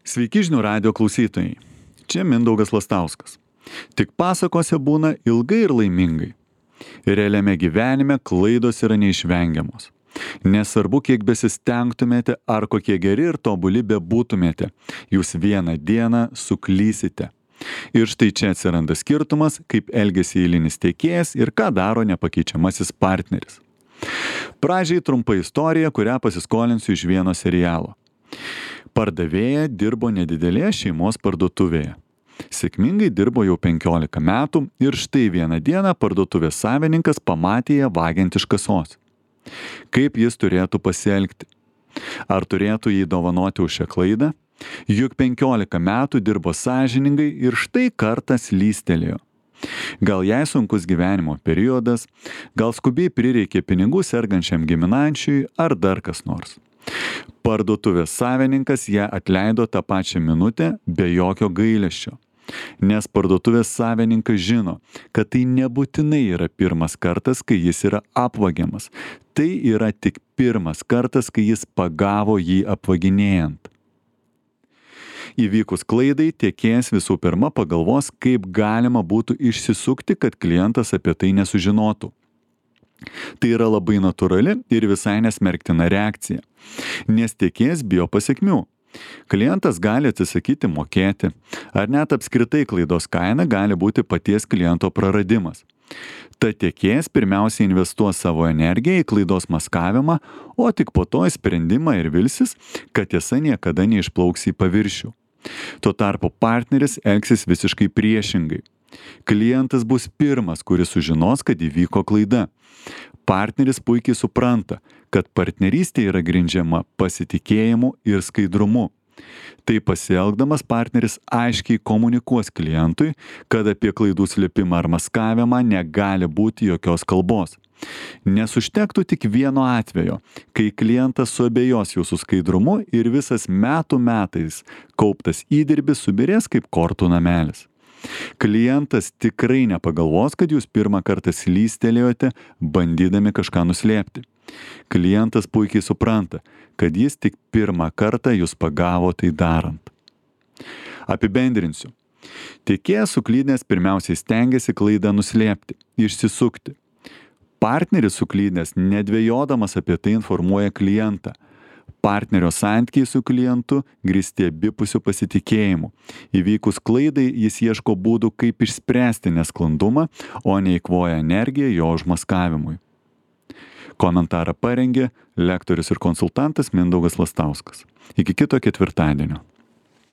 Sveiki žinių radijo klausytojai. Čia Mindaugas Lastauskas. Tik pasakose būna ilgai ir laimingai. Realiame gyvenime klaidos yra neišvengiamos. Nesvarbu, kiek besistengtumėte ar kokie geri ir tobuli bebūtumėte, jūs vieną dieną suklysite. Ir štai čia atsiranda skirtumas, kaip elgiasi eilinis tiekėjas ir ką daro nepakeičiamasis partneris. Pradžiai trumpa istorija, kurią pasiskolinsiu iš vieno serialo. Pardavėja dirbo nedidelėje šeimos parduotuvėje. Sėkmingai dirbo jau 15 metų ir štai vieną dieną parduotuvės savininkas pamatė ją vagiant iš kasos. Kaip jis turėtų pasielgti? Ar turėtų jį dovanoti už šią klaidą? Juk 15 metų dirbo sąžiningai ir štai kartą slystelėjo. Gal jai sunkus gyvenimo periodas, gal skubiai prireikė pinigų sergančiam giminaičiui ar dar kas nors. Parduotuvės savininkas ją atleido tą pačią minutę be jokio gailesčio. Nes parduotuvės savininkas žino, kad tai nebūtinai yra pirmas kartas, kai jis yra apvagiamas. Tai yra tik pirmas kartas, kai jis pagavo jį apvaginėjant. Įvykus klaidai, tiekėjas visų pirma pagalvos, kaip galima būtų išsisukti, kad klientas apie tai nesužinotų. Tai yra labai natūrali ir visai nesmerktina reakcija, nes tiekėjas bijo pasekmių. Klientas gali atsisakyti mokėti, ar net apskritai klaidos kaina gali būti paties kliento praradimas. Tad tiekėjas pirmiausia investuos savo energiją į klaidos maskavimą, o tik po to į sprendimą ir vilsis, kad tiesa niekada neišplauks į paviršių. Tuo tarpu partneris elgsis visiškai priešingai. Klientas bus pirmas, kuris sužinos, kad įvyko klaida. Partneris puikiai supranta, kad partnerystė yra grindžiama pasitikėjimu ir skaidrumu. Tai pasielgdamas partneris aiškiai komunikuos klientui, kad apie klaidų slėpimą ar maskavimą negali būti jokios kalbos. Nes užtektų tik vieno atvejo, kai klientas suabejos jūsų skaidrumu ir visas metų metais kauptas įdirbis subirės kaip kortų namelis. Klientas tikrai nepagalvos, kad jūs pirmą kartą slystelėjote, bandydami kažką nuslėpti. Klientas puikiai supranta, kad jis tik pirmą kartą jūs pagavo tai darant. Apibendrinsiu. Tiekėjas suklydęs pirmiausiai stengiasi klaidą nuslėpti, išsisukti. Partneris suklydęs nedvejodamas apie tai informuoja klientą. Partnerio santykiai su klientu grįsti abipusiu pasitikėjimu. Įvykus klaidai jis ieško būdų, kaip išspręsti nesklandumą, o neeikvoja energiją jo užmaskavimui. Komentarą parengė lektorius ir konsultantas Mindaugas Lastauskas. Iki kito ketvirtadienio.